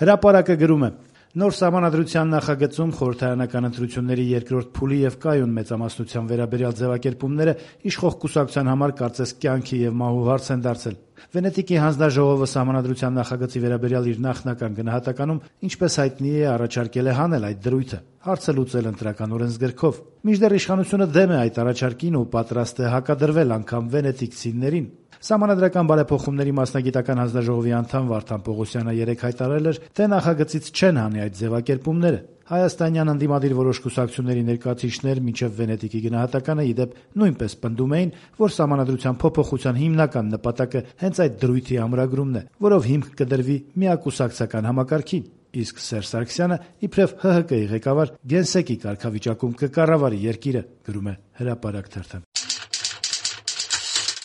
Հրապարակը գրում է. Նոր սահմանադրության նախագծում խորհրդարանական ընտրությունների երկրորդ փուլի եւ կայուն մեծամասնության վերաբերյալ ձևակերպումները իշխող կուսակցության համար կարծես կյանքի եւ մահու հարց են դարձել։ Վենետիկի հանձնաժողովը սահմանադրության նախագծի վերաբերյալ իր նախնական գնահատականում, ինչպես հայտնի է, առաջարկել է հանել այդ դրույթը, հարցը լուծել ընտրական օրենսգրքով։ Մինչդեռ իշխանությունը դեմ է այդ առաջարկին ու պատրաստ է հակադրվել անգամ վենետիկցիներին։ Սահմանադրական բարեփոխումների մասնագիտական հանձնաժողովի անդամ Վարդան Պողոսյանը երեկ հայտարարել էր, թե նախագծից չեն հանի այդ ձևակերպումները։ Հայաստանյան ընդդիմադիր որոշ կուսակցությունների ներկայացուցիչներ մինչև Վենետիկի գնահատականը ի դեպ նույնպես պնդում էին, որ սահմանադրության փոփոխության հիմնական նպատակը հենց այդ դրույթի ամրագրումն է, որով հիմք կդրվի միակուսակցական համակարգին, իսկ Սերժ Սարգսյանը իբրև ՀՀԿ-ի ղեկավար գենսեկի կարգավիճակում կկառավարի երկիրը, գրում է Հրապարակ թերթը։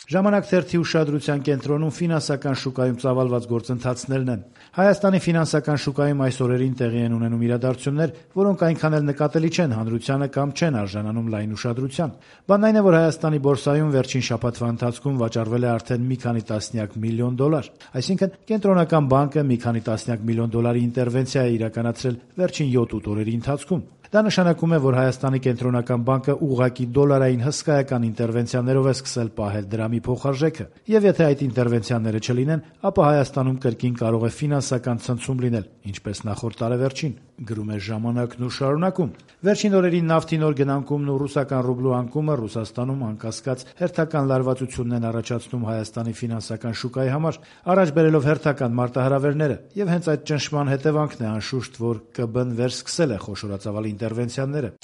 Ժամանակ թերթի ուշադրության կենտրոնում ֆինանսական շուկայում ծավալված գործընթացներն են։ Հայաստանի ֆինանսական շուկայում այս օրերին տեղի են ունենում իրադարձություններ, որոնք այնքան էլ նկատելի չեն հանրությանը կամ չեն արժանանում լայն ուշադրության։ Բանն այն է, որ Հայաստանի բորսայում վերջին շաբաթվա ընթացքում վաճառվել է արդեն մի քանի տասնյակ միլիոն դոլար։ Այսինքն կենտրոնական բանկը մի քանի տասնյակ միլիոն դոլարի ինտերվենցիա է իրականացրել վերջին 7-8 օրերի ընթացքում։ Դա նշանակում է, որ Հայաստանի կենտրոնական բանկը ուղղակի դոլարային հսկայական ինտերվենցիաներով է սկսել պահել դրամի փոխարժեքը, եւ եթե այդ ինտերվենցիաները չլինեն, ապա Հայաստանում կրկին կարող է ֆինանսական ցնցում լինել, ինչպես նախորդ տարեվերջին, գրում է Ժամանակն ու շարունակում։ Վերջին օրերին նավթի նոր գնանկումն ու ռուսական ռուբլու անկումը Ռուսաստանում անկասկած հերթական լարվածությունն են առաջացնում Հայաստանի ֆինանսական շուկայի համար, առաջ բերելով հերթական մարտահրավերները, եւ հենց այդ ճնշման հետևանքն է անշուշտ, որ ԿԲ-ն վերսկսել է խոշորածավալ ինտերվենցիաները։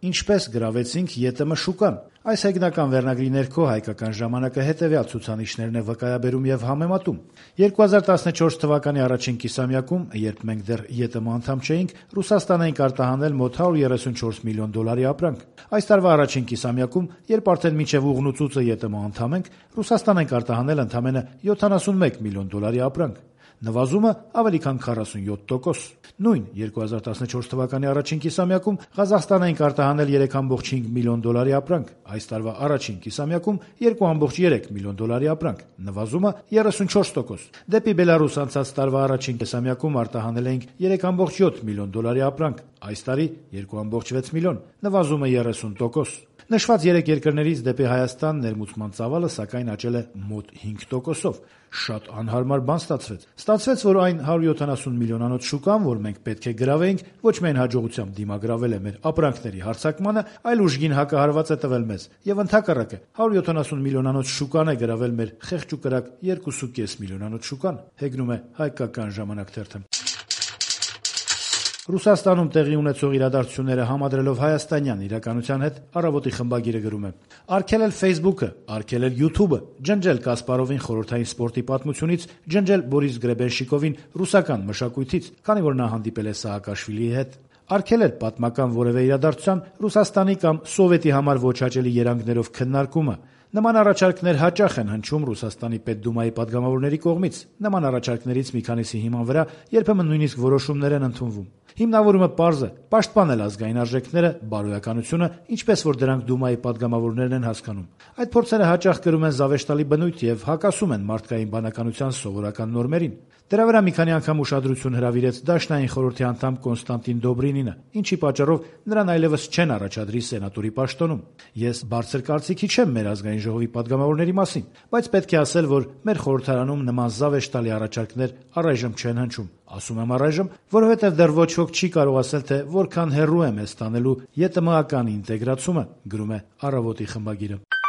Ինչպես գրավեցինք ԵՏՄ շուկան։ Այս հեգնական վերնագրի ներքո Հայկական ժամանակը հետևյալ ցուցանիշներն է վկայաբերում եւ համեմատում։ 2014 թվականի առաջին կիսամյակում, երբ մենք դեռ ԵՏՄ անդամ չէինք, Ռուսաստան էինք արտահանել մոտ 134 միլիոն դոլարի ապրանք։ Այս տարվա առաջին կիսամյակում, երբ արդեն մինչև ուղն ու ծուծը ԵՏՄ անդամ ենք, Ռուսաստան ենք արտահանել ընդամենը 71 միլիոն դոլարի ապրանք։ Նվազումը ավելի քան 47%։ Նույն 2014 թվականի առաջին կիսամյակում Ղազախստան էինք արտահանել 3.5 միլիոն դոլարի ապրանք, այս տարվա առաջին կիսամյակում 2.3 միլիոն դոլարի ապրանք, նվազումը 34%։ Դեպի Բելարուս անցած տարվա առաջին կիսամյակում արտահանել էինք 3.7 միլիոն դոլարի ապրանք, այս տարի 2.6 միլիոն, նվազումը 30%։ Նշված 3 երկրներից դեպի Հայաստան ներմուծման ծավալը սակայն աճել է մոտ 5%-ով։ Շատ անհարմար բան ստացվեց։ Ստացվեց, որ այն 170 միլիոնանոց շուկան, որ մենք պետք է գրավեինք, ոչ միայն հաջողությամբ դիմագրավել է մեր ապրանքների հարձակմանը, այլ ուժգին հակահարված է տվել մեզ։ Եվ ընդհակառակը 170 միլիոնանոց շուկան է գրավել մեր խեղճ ու կրակ 2.5 միլիոնանոց շուկան, հեգնում է Հայկական ժամանակ թերթը։ Ռուսաստանում տեղի ունեցող իրադարձությունները համադրելով հայաստանյան իրականության հետ Առավոտի խմբագիրը գրում է. Արգելել Facebook-ը, արգելել YouTube-ը, ջնջել Կասպարովին խորհրդային սպորտի պատմությունից, ջնջել Բորիս Գրեբենշիկովին ռուսական մշակույթից, քանի որ նա հանդիպել է Սաակաշվիլիի հետ, արգելել պատմական որևէ իրադարձության Ռուսաստանի կամ Սովետի համար ոչ հաճելի երանգներով քննարկումը։ Նման առաջարկներ հաճախ են հնչում Ռուսաստանի Պետդումայի падգամավորների կողմից։ Նման առաջարկներից մի քանիսի հիման վրա երբեմն նույնիսկ որոշումներ են ընդունվում։ Հիմնավորումը պարզ է՝ պաշտպանել ազգային արժեքները, բարոյականությունը, ինչպես որ դրանք Դումայի падգամավորներն են հասկանում։ Այդ փորձերը հաճախ կրում են զավեշտալի բնույթ եւ հակասում են մարդկային բանականության սովորական նորմերին։ Դրա վրա մի քանի անգամ ուշադրություն հրավիրեց Դաշնային խորհրդի անդամ Կոնստանտին Դոբրինինը, ինչի պատճառով նրան այլևս չեն առաջադրի սենատորի պաշտոնում։ Ես բարձր կարծիքի չեմ մեր ազգային ժողովի падգամավորների մասին, բայց պետք է ասել, որ մեր խորհրդարանում նման զավեշտալի առաջարկներ առայժմ չեն հնչում։ Ասում եմ առայժմ, որովհետև դեռ ոչ ոք չի կարող ասել, թե որքան հեռու է մեզ տանելու ԵՏՄ-ական ինտեգրացումը, գրում է Առավոտի խմբագիրը։